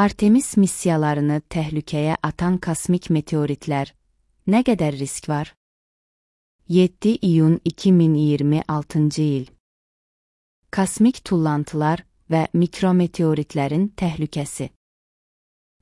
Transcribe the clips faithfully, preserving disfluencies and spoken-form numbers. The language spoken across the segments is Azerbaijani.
Artemis missiyalarını təhlükəyə atan kosmik meteoritlər. Nə qədər risk var? yeddi iyun iki min iyirmi altıncı il. Kosmik tullantılar və mikrometeoritlərin təhlükəsi.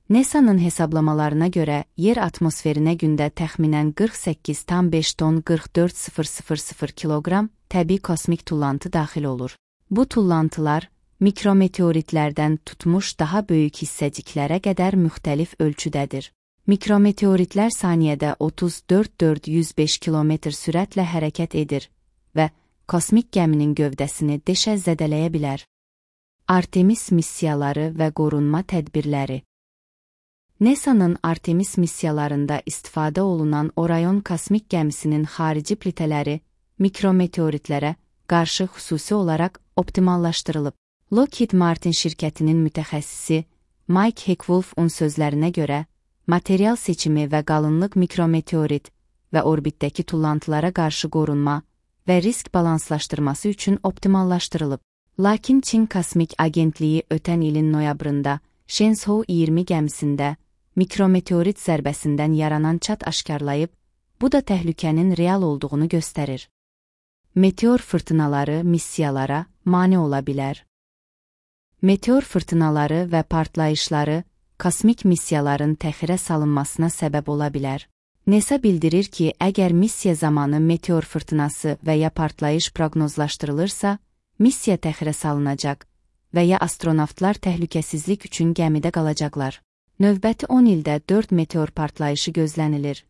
NASA'nın hesablamalarına görə yer atmosferinə gündə təxminən qırx səkkiz tam beş ton qırx dörd min kiloqram təbii kosmik tullantı daxil olur. Bu tullantılar mikrometeoritlərdən tutmuş daha böyük hissəciklərə qədər müxtəlif ölçüdədir. Mikrometeoritlər saniyədə otuz dörd min dörd yüz beş kilometr sürətlə hərəkət edir və kosmik gəminin gövdəsini deşə zədələyə bilər. Artemis missiyaları və qorunma tədbirləri. NASA'nın Artemis missiyalarında istifadə olunan Orion kosmik gəmisinin xarici plitələri mikrometeoritlərə qarşı xüsusi olaraq optimallaşdırılıb. Lockheed Martin şirkətinin mütəxəssisi Mike Heckwoolf'un sözlərinə görə, material seçimi və qalınlıq mikrometeorit və orbitdəki tullantılara qarşı qorunma və risk balanslaşdırması üçün optimallaşdırılıb. Lakin Çin Kosmik Agentliyi ötən ilin noyabrında Shenzhou iyirmi gəmisində mikrometeorit zərbəsindən yaranan çat aşkarlayıb, bu da təhlükənin real olduğunu göstərir. Meteor fırtınaları missiyalara mane ola bilər. Meteor fırtınaları və partlayışları kosmik missiyaların təxirə salınmasına səbəb ola bilər. NASA bildirir ki, əgər missiya zamanı meteor fırtınası və ya partlayış proqnozlaşdırılırsa, missiya təxirə salınacaq və ya astronavtlar təhlükəsizlik üçün gəmidə qalacaqlar. Növbəti on ildə dörd meteor partlayışı gözlənilir.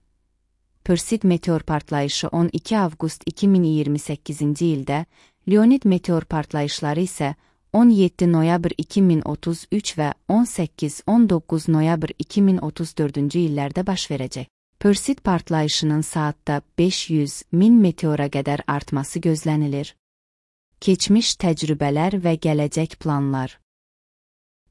Perseid meteor partlayışı on iki avqust iki min iyirmi səkkizinci ildə, Leonid meteor partlayışları isə on yeddi noyabr iki min otuz üç və on səkkiz on doqquz noyabr iki min otuz dördüncü illərdə baş verəcək. Perseid partlayışının saatda beş yüz min meteora qədər artması gözlənilir. Keçmiş təcrübələr və gələcək planlar.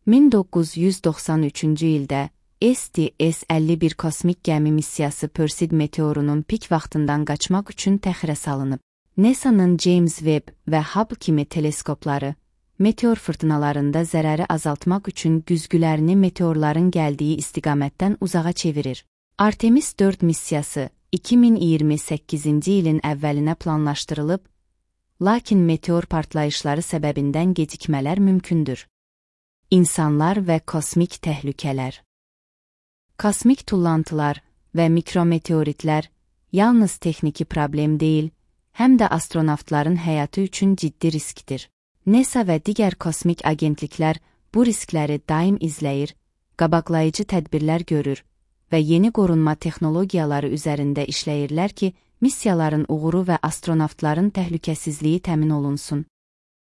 min doqquz yüz doxsan üçüncü ildə S T S əlli bir kosmik gəmi missiyası Perseid meteorunun pik vaxtından qaçmaq üçün təxirə salınıb. NASA'nın James Webb və Hubble kimi teleskopları meteor fırtınalarında zərəri azaltmaq üçün güzgülərini meteorların gəldiyi istiqamətdən uzağa çevirir. Artemis dörd missiyası iki min iyirmi səkkizinci ilin əvvəlinə planlaşdırılıb, lakin meteor partlayışları səbəbindən gecikmələr mümkündür. İnsanlar və kosmik təhlükələr. Kosmik tullantılar və mikrometeoritlər yalnız texniki problem deyil, həm də astronavtların həyatı üçün ciddi riskdir. NASA və digər kosmik agentliklər bu riskləri daim izləyir, qabaqlayıcı tədbirlər görür və yeni qorunma texnologiyaları üzərində işləyirlər ki, missiyaların uğuru və astronavtların təhlükəsizliyi təmin olunsun.